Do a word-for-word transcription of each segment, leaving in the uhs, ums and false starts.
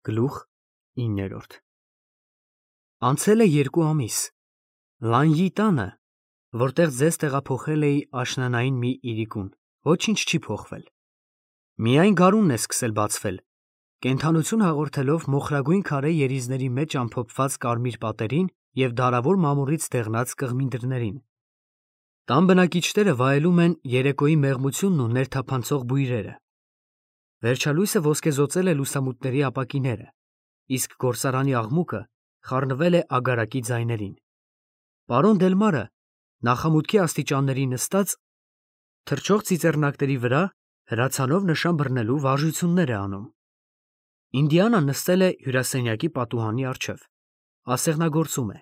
Գլուխ իններորդ Անցել է երկու ամիս, Լանյի տանը, որտեղ ձեզ տեղափոխել էի աշնանային մի իրիկուն, ոչինչ չի փոխվել, միայն գարունն է սկսել բացվել, կենդանություն հաղորդելով մոխրագույն քարե երիզների մեջ ամփոփված կարմիր պատերին և դարավոր մամուռից դեղնած կղմինդրներին, տան բնակիչները վայելում են երեկոյի մեղմությունն ու ներթափանցող բույրերը, վերջալույսը ոսկեզօծել է լուսամուտների ապակիները, իսկ գործարանի աղմուկը խառնվել է ագարակի ձայներին, պարոն Դելմարը նախամուտքի աստիճանների նստած, թռչող ծիծեռնակների վրա հրացանով նշան բռնելու վարժություններ է անում, Ինդիանան նստել է հյուրասենյակի պատուհանի առջև, ասեղնագործում է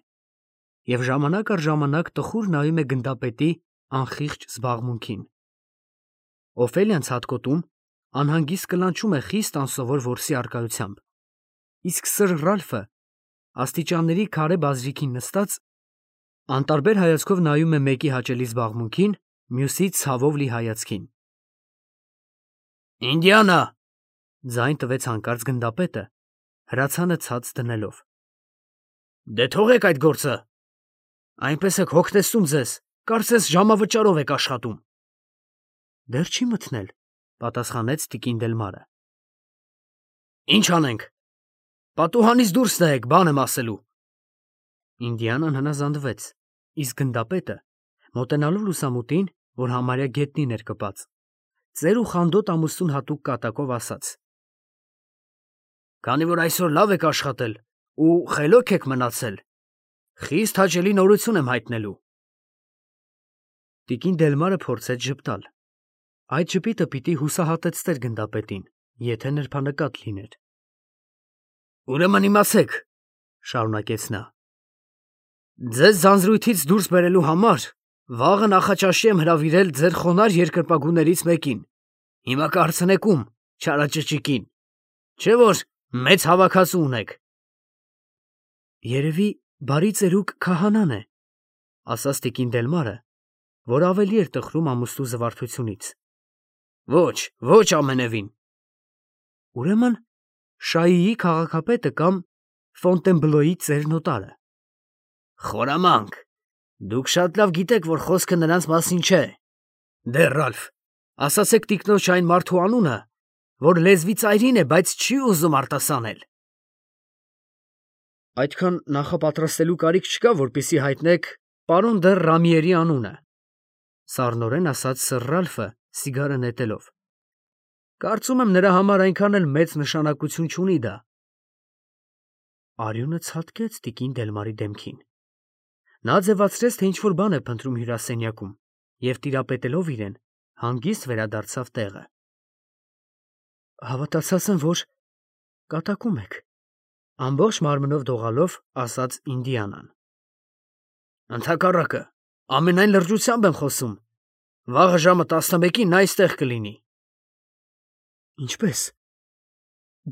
և ժամանակ առ ժամանակ տխուր նայում է գնդապետի անխիղճ զբաղմունքին, Օֆելիան ցատկոտում, անհանգիստ կլանչում է խիստ անսովոր որսի առկայությամբ, իսկ սըր Ռալֆը աստիճանների քարե բազրիքին նստած, անտարբեր հայացքով նայում է մեկի հաճելի զբաղմունքին, մյուսի ցավով լի հայացքին։ Ինդիանա, ձայն տվեց հանկարծ գնդապետը, հրացանը ցած դնելով։ Դե թողեք այդ գործը, այնպես եք հոգնեցնում ձեզ, կարծես ժամավճարով եք աշխատում։ Դեռ չի մթնել, պատասխանեց տիկին Դելմարը։ Ինչ անենք, պատուհանից դուրս նայեք, բան եմ ասելու։ Ինդիանան հնազանդվեց, իսկ գնդապետը, մոտենալով լուսամուտին, որ համարյա գետնին էր կպած, ծեր ու խանդոտ ամուսնուն հատուկ կատակով ասաց. Քանի որ այսօր լավ եք աշխատել ու խելոք եք մնացել, խիստ հաճելի նորություն եմ հայտնելու։ Տիկին Դելմարը փորձեց ժպտալ։ Այդ ժպիտը պիտի հուսահատեցներ գնդապետին, եթե նրբանկատ լիներ։ Ուրեմն իմացեք, շարունակեց նա, ձեզ ձանձրույթից դուրս բերելու համար վաղը նախաճաշի եմ հրավիրել ձեր խոնարհ երկրպագուներից մեկին, հիմա կհարցնեք ում, չարաճճիկին, չէ՞ որ մեծ հավաքածու ունեք։ Երևի բարի ծերուկ քահանան է, ասաց տիկին Դելմարը, որ ավելի էր տխրում ամուսնու զվարթությունից։ Ոչ, ոչ ամենևին։ Ուրեմն Շայիի քաղաքապետը կամ Ֆոնտենբլոյի ծերնոտարը։ Խորամանկ, դուք շատ լավ գիտեք, որ խոսքը նրանց մասին չէ։ Դե Ռալֆ, ասացեք տիկնոջ այն մարդու անունը, որ լեզվի ծայրին է, բայց չի ուզում արտասանել։ Այդքան նախապատրաստելու կարիք չկա, որպեսզի հայտնեք պարոն դեռ Ռամիերի անունը, սառնորեն ասաց սըր Ռալֆը, սիգարը նետելով։ Կարծում եմ նրա համար այնքան էլ մեծ նշանակություն չունի դա։ Արյունը ցատկեց տիկին Դելմարի դեմքին։ Նա ձևացրեց, թե ինչ-որ բան է փնտրում հյուրասենյակում և տիրապետելով իրեն, հանգիստ վերադարձավ տեղը։ Հավատացած եմ, որ կատակում եք, ամբողջ մարմնով դողալով ասաց Ինդիանան։ Ընդհակառակը, ամենայն լրջությամբ եմ խոսում, վաղը ժամը տասնմեկին նա այստեղ կլինի։ Ինչպե՞ս։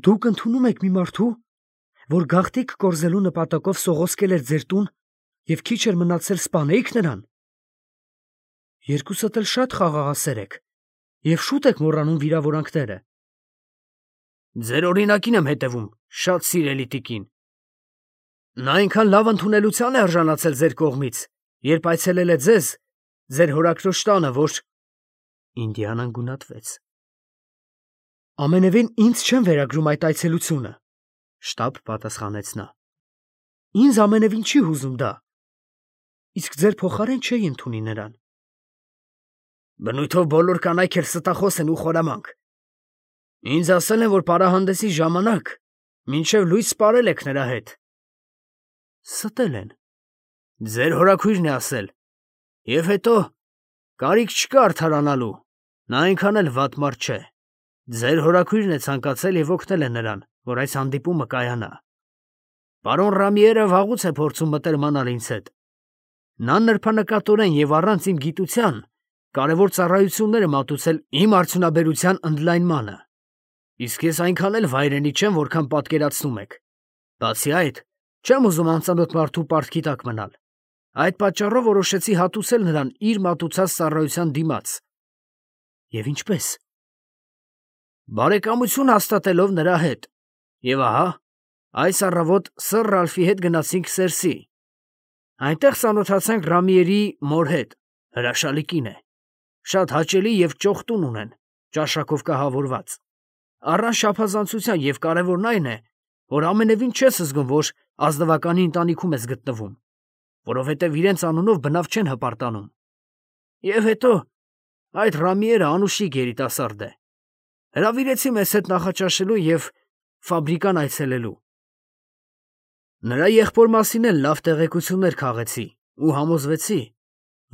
Դուք ընդունում եք մի մարդու, որ գաղտնիք կորզելու նպատակով սողոսկել էր ձեր տուն և քիչ էր մնացել սպանեիք նրան։ Երկուսդ էլ շատ խաղաղասեր եք և շուտ եք մոռանում վիրավորանքները։ Ձեր օրինակին եմ հետևում, շատ սիրելի տիկին։ Նա այնքան լավ ընդունելության է արժանացել ձեր կողմից, երբ այցելել է ձեզ, ձեր հորաքրոջ տանը, որ… Ինդիանան գունատվեց։ Ամենևին ինձ չեն վերագրում այդ այցելությունը, շտապ պատասխանեց նա։ Ինձ ամենևին չի հուզում դա, իսկ ձեր փոխարեն չէի ընդունի նրան։ Բնույթով բոլոր կանայք էլ ստախոս են ու խորամանկ։ Ինձ ասել են, որ պարահանդեսի ժամանակ մինչև լույս սպարել եք նրա հետ։ Ստել են։ Ձեր հորաքույրն է ասել։ Եվ հետո կարիք չկա արդարանալու, նա այնքան էլ վատ մարդ չէ։ Ձեր հորաքույրն է ցանկացել և օգնել է նրան, որ այս հանդիպումը կայանա։ Պարոն Ռամիերը վաղուց է փորձում մտերմանալ ինձ հետ։ Նա նրբանկատորեն և առանց իմ գիտության կարևոր ծառայություններ է մատուցել իմ արդյունաբերության ընդլայնմանը, իսկ ես այնքան էլ վայրենի չեմ, որքան պատկերացնում եք։ Բացի այդ, չեմ ուզում անծանոթ մարդու պարտքի տակ մնալ։ Այդ պատճառով որոշեցի հատուցել նրան իր մատուցած ծառայության դիմաց։ Եվ ինչպես։ Բարեկամություն հաստատելով նրա հետ։ Եվ ահա, Այս առավոտ սըր Ռալֆի հետ գնացինք Սերսի։ Այնտեղ ծանոթացանք Ռամիերի մոր հետ, հրաշալի կին է, շատ հաճելի և ճոխ տուն ունեն, ճաշակով կահավորված։ Առանց շափազանցության և կարևորն այն է, որ ամենևին չես զգում, որ ազնվականի ընտանիքում ես գտնվում, որովհետև իրենց անունով բնավ չեն հպարտանում։ Եվ հետո այդ Ռամիերը անուշիկ երիտասարդ է։ Հրավիրեցի մեզ հետ նախաճաշելու և ֆաբրիկան այցելելու։ Նրա եղբոր մասին էլ լավ տեղեկություններ քաղեցի ու համոզվեցի,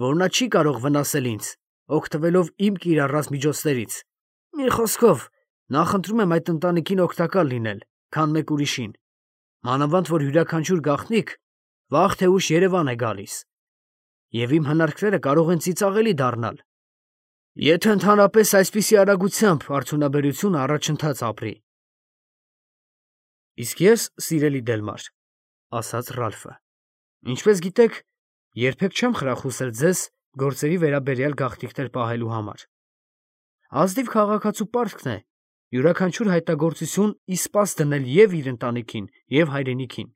որ նա չի կարող վնասել ինձ, օգտվելով իմ կիրառած միջոցներից։ Մի խոսքով, նախընտրում եմ այդ ընտանիքին օգտակար լինել, քան մեկ ուրիշին, մանավանդ որ յուրաքանչյուր գաղտնիք վաղ թե ուշ Երևան է գալիս, և իմ հնարքները կարող են ծիծաղելի դառնալ, եթե ընդհանրապես այսպիսի արագությամբ արդյունաբերությունը առաջընթաց ապրի։ Իսկ ես, սիրելի Դելմար, ասաց Ռալֆը, ինչպես գիտեք, երբեք չեմ խրախուսել ձեզ գործերի վերաբերյալ գաղտնիքներ պահելու համար։ Ազնիվ քաղաքացու պարտքն է յուրաքանչյուր հայտնագործություն իսպաս դնել և իր ընտանիքին, և հայրենիքին։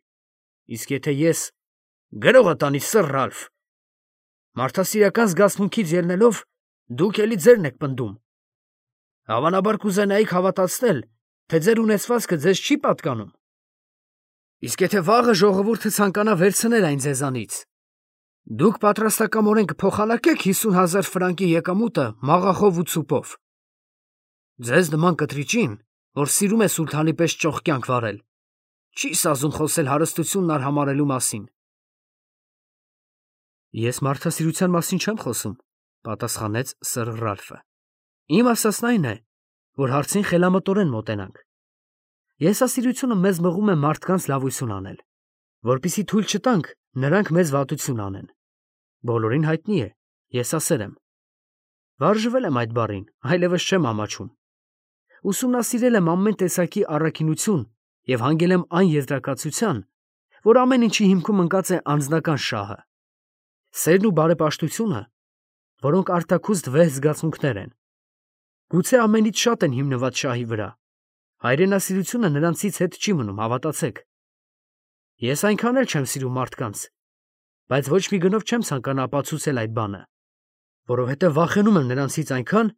Իսկ եթե ես գրողը տանի սըր Ռալֆ, մարդասիրական զգացմունքից ելնելով, դուք էլի ձերն եք պնդում։ Հավանաբար կուզենայիք հավատացնել, թե ձեր ունեցվածքը ձեզ չի պատկանում։ Իսկ եթե վաղը ժողովուրդը ցանկանա վերցնել այն ձեզանից, դուք պատրաստակամորեն կփոխանակեք հիսուն հազար ֆրանկի եկամուտը մաղախով ու ցուպով։ Ձեզ նման կտրիճին, որ սիրում է սուլթանի պես ճոխ կյանք վարել, չի սազում խոսել հարստությունն արհամարհելու մասին։ Ես մարդասիրության մասին չեմ խոսում, պատասխանեց սըր Ռալֆը։ Իմ ասածն այն է, որ հարցին խելամտորեն մոտենանք։ Եսասիրությունը մեզ մղում է մարդկանց լավություն անել, որպեսզի թույլ չտանք նրանք մեզ վատություն անեն։ Բոլորին հայտնի է, եսասեր եմ։ Վարժվել եմ այդ բառին, այլևս չեմ ամաչում։ Ուսումնասիրել եմ ամեն տեսակի առաքինություն և հանգել եմ այն եզրակացության, որ ամեն ինչի հիմքում ընկած է անձնական շահը։ Սերն ու բարեպաշտությունը, որոնք արտաքուստ վեհ զգացմունքներ են, գուցե ամենից շատ են հիմնված շահի վրա, հայրենասիրությունը նրանցից հետ չի մնում, հավատացեք։ Ես այնքան էլ չեմ սիրում մարդկանց, բայց ոչ մի գնով չեմ ցանկանա ապացուցել այդ բանը, որովհետև վախենում եմ նրանցից այնքան,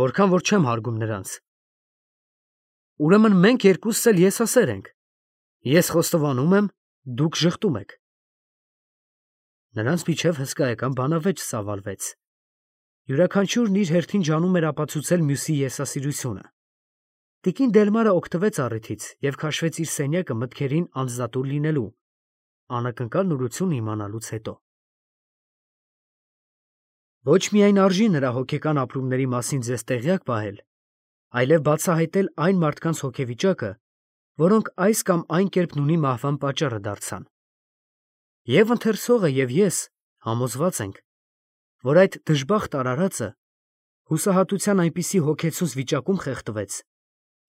որքան որ չեմ հարգում նրանց։ Ուրեմն մենք երկուսս էլ եսասեր ենք։ Ես խոստովանում եմ, դուք ժխտում եք։ Նրանց միջև հսկայական բանավեճ ծավալվեց։ Յուրաքանչյուրն իր հերթին ջանում էր ապացուցել մյուսի եսասիրությունը։ Տիկին Դելմարը օգտվեց առիթից և քաշվեց իր սենյակը մտքերին անձնատուր լինելու, անակնկալ նորություն իմանալուց հետո։ Ոչ միայն արժի նրա հոգեկան ապրումների մասին ձեզ տեղյակ պահել, այլև բացահայտել այն մարդկանց հոգեվիճակը, որոնք այս կամ այն կերպ նույնի մահվան պատճառը դարձան։ Եվ ընթերցողը, և ես համոզված ենք, որ այդ դժբախտ արարածը հուսահատության այնպիսի հոգեցուց վիճակում խեղդվեց,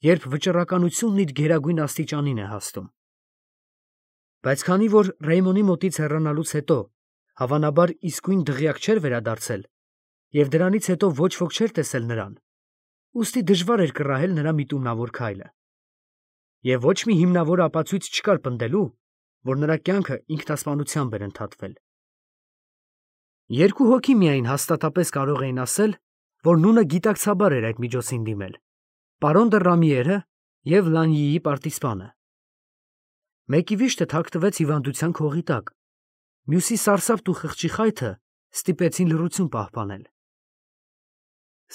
երբ վճռականությունն իր գերագույն աստիճանին է հասնում։ Բայց քանի որ Ռեյմոնի մոտից հեռանալուց հետո հավանաբար իսկույն դղյակ չէր վերադարձել, և դրանից հետո ոչ ոք չէր տեսել նրան, ուստի դժվար էր կռահել նրա միտումնավոր քայլը։ Եվ ոչ մի հիմնավոր ապացույց չկար պնդելու, որ նրա կյանքը ինքնասպանությամբ էր ընդհատվել։ Երկու հոգի միայն հաստատապես կարող էին ասել, որ նունը գիտակցաբար էր այդ միջոցին դիմել. պարոն դը Ռամիերը և Լանյիի պարտիզպանը։ Մեկի վիշտը թաքնվեց հիվանդության քողի տակ, մյուսի սարսափն ու խղճի խայթը ստիպեցին լռություն պահպանել։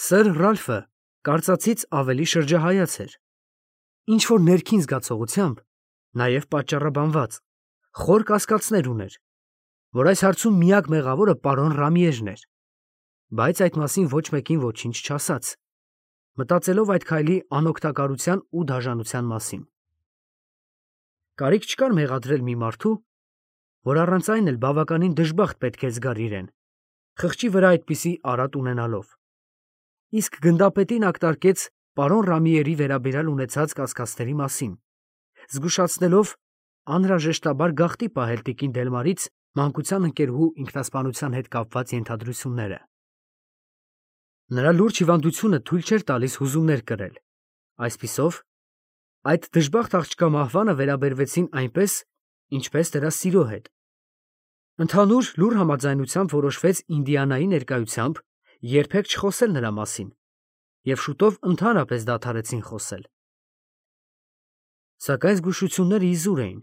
Սըր Ռալֆը կարծածից ավելի շրջահայաց էր, ինչ-որ ներքին զգացողությամբ, նաև պատճառաբանված, խոր կասկածներ ուներ, որ այս հարցում միակ մեղավորը պարոն Ռամիեժն էր, բայց այդ մասին ոչ մեկին ոչինչ չասաց, մտածելով այդ քայլի անօգտակարության ու դաժանության մասին։ Կարիք չկար մեղադրել մի մարդու, որ առանց այն էլ բավականին դժբախտ պետք է զգար իրեն, խղճի վրա այդպիսի արատ ունենալով։ Իսկ գնդապետին ակտարկեց պարոն Ռամիերի վերաբերյալ ունեցած կասկածների մասին, զգուշացնելով անհրաժեշտաբար գաղտի պահել տիկին Դելմարից մանկության ընկերուհու ինքնասպանության հետ կապված ենթադրությունները։ Նրա լուրջ հիվանդությունը թույլ չէր տալիս հուզումներ կրել, այսպիսով, Այդ դժբախտ աղջկա մահվանը վերաբերվեցին այնպես, ինչպես դրա սիրո հետ։ Ընդհանուր լուր համաձայնությամբ որոշվեց Ինդիանայի ներկայությամբ երբեք չխոսել նրա մասին, և շուտով ընդհանրապես դադարեցին խոսել։ Սակայն զգուշությունները իզուր էին,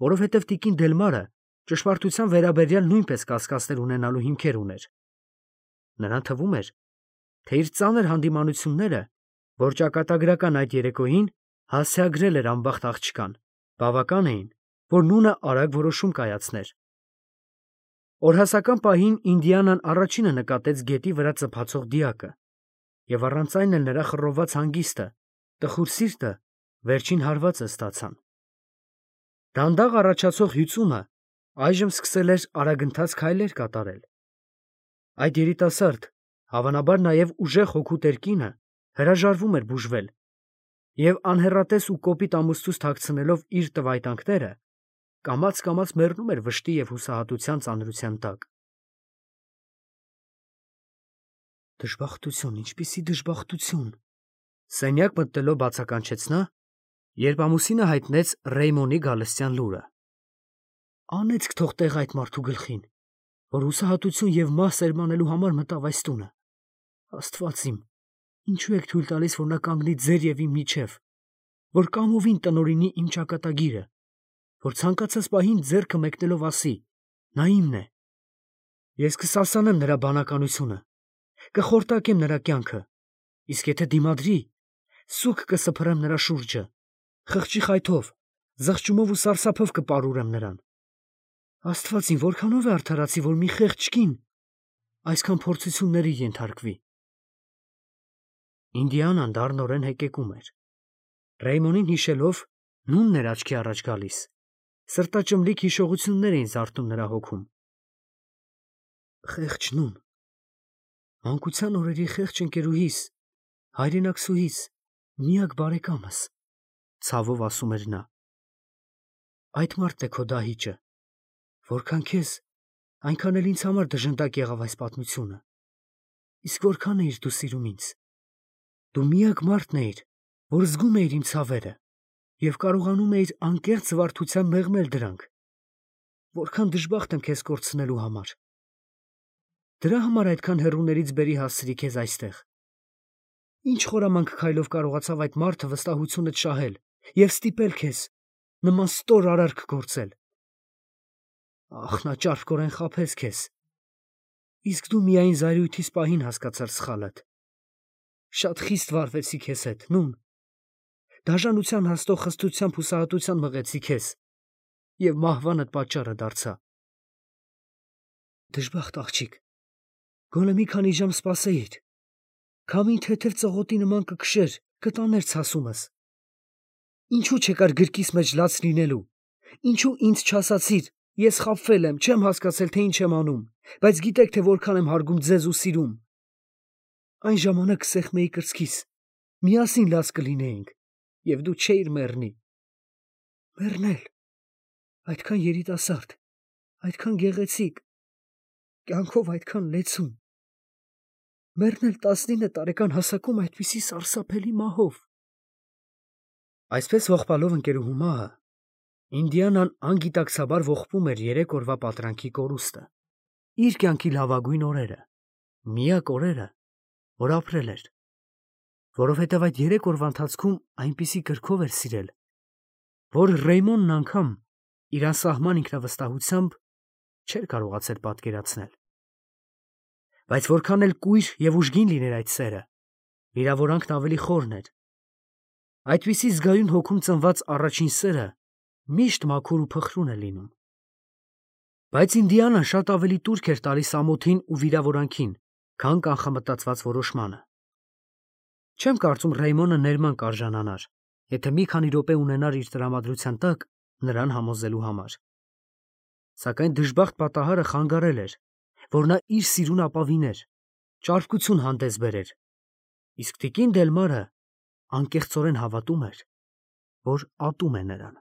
որովհետև տիկին Դելմարը ճշմարտության վերաբերյալ նույնպես կասկածներ ունենալու հիմքեր ուներ։ Նրան թվում էր, թե իր ծանր հանդիմանությունները, որ ճակատագրական այդ երեկոյին հասցեագրել էր անբախտ աղջկան, բավական էին, որ նունը արագ որոշում կայացներ։ Օրհասական պահին Ինդիանան առաջինը նկատեց գետի վրա ծփացող դիակը, և առանց այն էլ նրա խռովված հանգիստը, տխուր սիրտը վերջին հարվածը ստացան։ Դանդաղ առաջացող հյուծումը այժմ սկսել էր արագընթաց քայլեր կատարել։ Այդ երիտասարդ, հավանաբար նաև ուժեղ հոգու տերկինը հրաժարվում էր բուժվել և անհեռատես ու կոպիտ ամուսնուց թաքցնելով իր տվայտանքները, կամաց-կամաց մեռնում էր վշտի և հուսահատության ծանրության տակ։ Դժբախտություն, ինչպիսի դժբախտություն, սենյակ մտնելով բացականչեց նա, երբ ամուսինը հայտնեց Ռեյմոնի գալստյան լուրը։ Անեծք թող տեղ այդ մարդու գլխին, որ հուսահատություն և մահ սերմանելու համար մտավ այս տունը։ Աստված իմ, ինչու եք թույլ տալիս, որ նա կանգնի ձեր և իմ միջև, որ կամովին տնօրինի իմ ճակատագիրը, որ ցանկացած պահին ձեռքը մեկնելով ասի. նա իմն է։ Ես կսասանեմ նրա բանականությունը, կխորտակեմ նրա կյանքը, իսկ եթե դիմադրի, սուգ կսփռեմ նրա շուրջը, խղճի խայթով, զղջումով ու սարսափով կպարուրեմ նրան։ Աստված իմ, որքանով է արդարացի, որ մի խեղճ կին այսքան փորձությունների ենթարկվի։ Ինդիանան դառնորեն հեկեկում էր։ Ռեյմոնին հիշելով, նունն էր աչքի առաջ գալիս, սրտաճմլիկ հիշողություններ էին զարթնում նրա հոգում։ Խեղճ նուն, մանկության օրերի խեղճ ընկերուհիս, հայրենակցուհիս, միակ բարեկամս, ցավով ասում էր նա։ Այդ մարդն է քո դահիճը, որքան քեզ, այնքան էլ ինձ համար դժնդակ եղավ այս պատմությունը, իսկ որքան էիր դու սիրում ինձ։ Դու միակ մարդն էիր, որ զգում էիր իմ ցավերը և կարողանում էիր անկեղծ զվարթությամբ մեղմել դրանք։ Որքան դժբախտ եմ քեզ կորցնելու համար։ Դրա համար այդքան հեռուներից բերի հասցրի քեզ այստեղ։ Ինչ խորամանկ քայլով կարողացավ այդ մարդը վստահությունդ շահել և ստիպել քեզ նման ստոր արարք գործել։ Ախ, նա ճարպկորեն խաբեց քեզ, իսկ դու միայն զայրույթիս պահին հասկացար սխալդ։ Շատ խիստ վարվեցի քեզ հետ, նուն, դաժանության հասնող խստությամբ հուսահատության մղեցի քեզ և մահվանդ պատճառը դարձա։ Դժբախտ աղջիկ, գոնե մի քանի ժամ սպասեիր, քամին թեթև ծղոտի նման կքշեր, կտաներ ցասումս։ Ինչու չեկար գրկիս մեջ լաց լինելու, ինչու ինձ չասացիր, ես խաբվել եմ, չեմ հասկացել, թե ինչ եմ անում, բայց գիտեք, թե որքան եմ հարգում ձեզ ու սիրում։ Այն ժամանակ կսեղմեի կրծքիս, միասին լաց կլինեինք, և դու չէիր մեռնի։ Մեռնել, այդքան երիտասարդ, այդքան գեղեցիկ, կյանքով այդքան լեցուն։ Մեռնել տասնինը տարեկան հասակում այդպիսի սարսափելի մահով։ Այսպես ողբալով ընկերուհու մահը, Ինդիանան անգիտակցաբար ողբում էր երեք օրվա պատրանքի կորուստը, իր կյանքի լավագույն օրերը, միակ օրերը, որ ապրել էր, որովհետև այդ երեք օրվա ընթացքում այնպիսի կրքով էր սիրել, որ Ռեյմոնն անգամ իր անսահման ինքնավստահությամբ չէր կարողացել պատկերացնել։ Բայց որքան էլ կույր և ուժգին լիներ այդ սերը, վիրավորանքն ավելի խորն էր։ Այդպիսի զգայուն հոգում ծնված առաջին սերը միշտ մաքուր ու փխրուն է լինում։ Բայց Ինդիանան շատ ավելի տուրք էր տալիս ամոթին ու վիրավորանքին, քան կանխամտածված որոշմանը։ Չեմ կարծում Ռեյմոնը ներման կարժանանար, եթե մի քանի րոպե ունենար իր տրամադրության տակ նրան համոզելու համար։ Սակայն դժբախտ պատահարը խանգարել էր, որ նա իր սիրուն ապավիներ, ճարպկություն հանդես բերեր, իսկ տիկին Դելմարը անկեղծորեն հավատում էր, որ ատում է նրան։